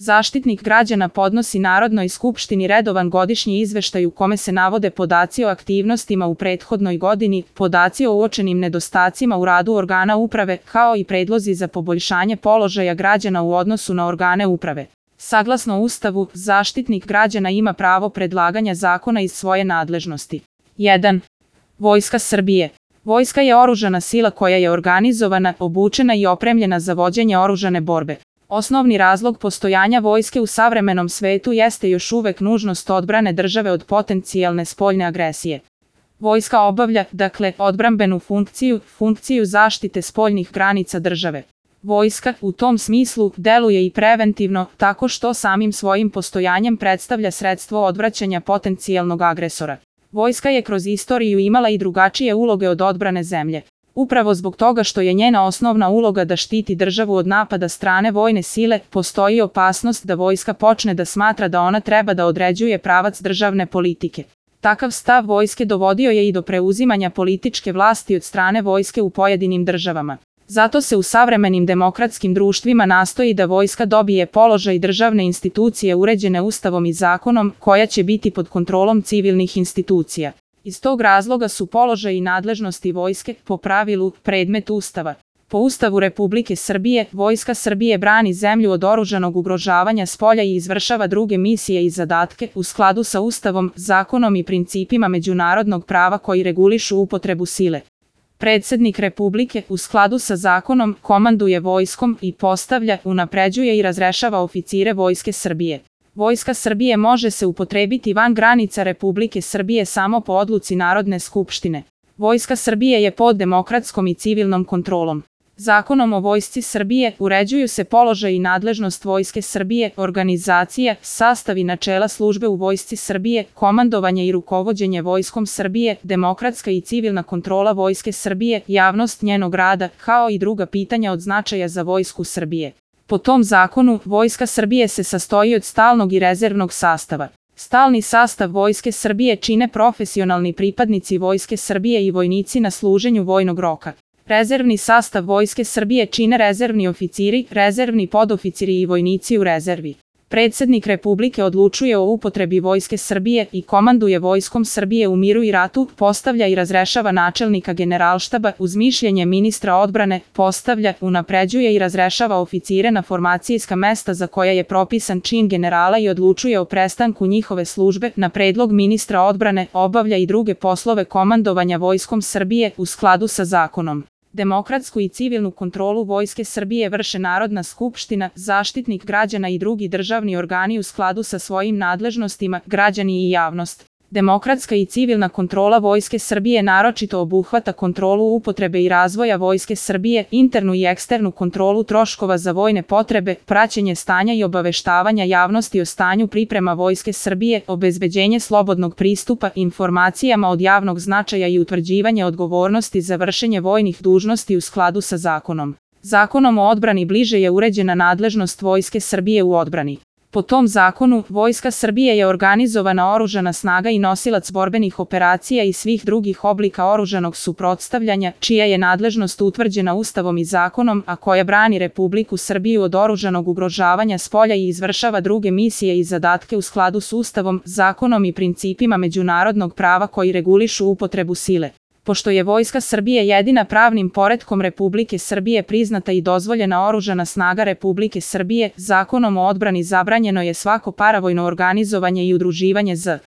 Zaštitnik građana podnosi Narodnoj skupštini redovan godišnji izveštaj u kome se navode podaci o aktivnostima u prethodnoj godini, podaci o uočenim nedostacima u radu organa uprave, kao i predlozi za poboljšanje položaja građana u odnosu na organe uprave. Saglasno Ustavu, Zaštitnik građana ima pravo predlaganja zakona iz svoje nadležnosti. 1. Vojska Srbije. Vojska je oružana sila koja je organizovana, obučena i opremljena za vođenje oružane borbe. Osnovni razlog postojanja vojske u savremenom svetu jeste još uvek nužnost odbrane države od potencijalne spoljne agresije. Vojska obavlja, dakle, odbrambenu funkciju zaštite spoljnih granica države. Vojska, u tom smislu, deluje i preventivno, tako što samim svojim postojanjem predstavlja sredstvo odvraćanja potencijalnog agresora. Vojska je kroz istoriju imala i drugačije uloge od odbrane zemlje. Upravo zbog toga što je njena osnovna uloga da štiti državu od napada strane vojne sile, postoji opasnost da vojska počne da smatra da ona treba da određuje pravac državne politike. Takav stav vojske dovodio je i do preuzimanja političke vlasti od strane vojske u pojedinim državama. Zato se u savremenim demokratskim društvima nastoji da vojska dobije položaj državne institucije uređene Ustavom i zakonom, koja će biti pod kontrolom civilnih institucija. Iz tog razloga su položaj i nadležnosti vojske, po pravilu, predmet Ustava. Po Ustavu Republike Srbije, Vojska Srbije brani zemlju od oružanog ugrožavanja spolja i izvršava druge misije i zadatke u skladu sa Ustavom, zakonom i principima međunarodnog prava koji regulišu upotrebu sile. Predsednik Republike, u skladu sa zakonom, komanduje vojskom i postavlja, unapređuje i razrešava oficire Vojske Srbije. Vojska Srbije može se upotrebiti van granica Republike Srbije samo po odluci Narodne skupštine. Vojska Srbije je pod demokratskom i civilnom kontrolom. Zakonom o Vojsci Srbije uređuju se položaj i nadležnost Vojske Srbije, organizacija, sastav i načela službe u Vojsci Srbije, komandovanje i rukovođenje Vojskom Srbije, demokratska i civilna kontrola Vojske Srbije, javnost njenog rada, kao i druga pitanja od značaja za Vojsku Srbije. Po tom zakonu, Vojska Srbije se sastoji od stalnog i rezervnog sastava. Stalni sastav Vojske Srbije čine profesionalni pripadnici Vojske Srbije i vojnici na služenju vojnog roka. Rezervni sastav Vojske Srbije čine rezervni oficiri, rezervni podoficiri i vojnici u rezervi. Predsednik Republike odlučuje o upotrebi Vojske Srbije i komanduje Vojskom Srbije u miru i ratu, postavlja i razrešava načelnika Generalštaba uz mišljenje ministra odbrane, postavlja, unapređuje i razrešava oficire na formacijska mesta za koja je propisan čin generala i odlučuje o prestanku njihove službe, na predlog ministra odbrane, obavlja i druge poslove komandovanja Vojskom Srbije u skladu sa zakonom. Demokratsku i civilnu kontrolu Vojske Srbije vrše Narodna skupština, Zaštitnik građana i drugi državni organi u skladu sa svojim nadležnostima, građani i javnost. Demokratska i civilna kontrola Vojske Srbije naročito obuhvata kontrolu upotrebe i razvoja Vojske Srbije, internu i eksternu kontrolu troškova za vojne potrebe, praćenje stanja i obaveštavanja javnosti o stanju priprema Vojske Srbije, obezbeđenje slobodnog pristupa informacijama od javnog značaja i utvrđivanje odgovornosti za vršenje vojnih dužnosti u skladu sa zakonom. Zakonom o odbrani bliže je uređena nadležnost Vojske Srbije u odbrani. Po tom zakonu, Vojska Srbije je organizovana oružana snaga i nosilac borbenih operacija i svih drugih oblika oružanog suprotstavljanja, čija je nadležnost utvrđena Ustavom i zakonom, a koja brani Republiku Srbiju od oružanog ugrožavanja spolja i izvršava druge misije i zadatke u skladu s Ustavom, zakonom i principima međunarodnog prava koji regulišu upotrebu sile. Pošto je Vojska Srbije jedina pravnim poretkom Republike Srbije priznata i dozvoljena oružana snaga Republike Srbije, zakonom o odbrani zabranjeno je svako paravojno organizovanje i udruživanje z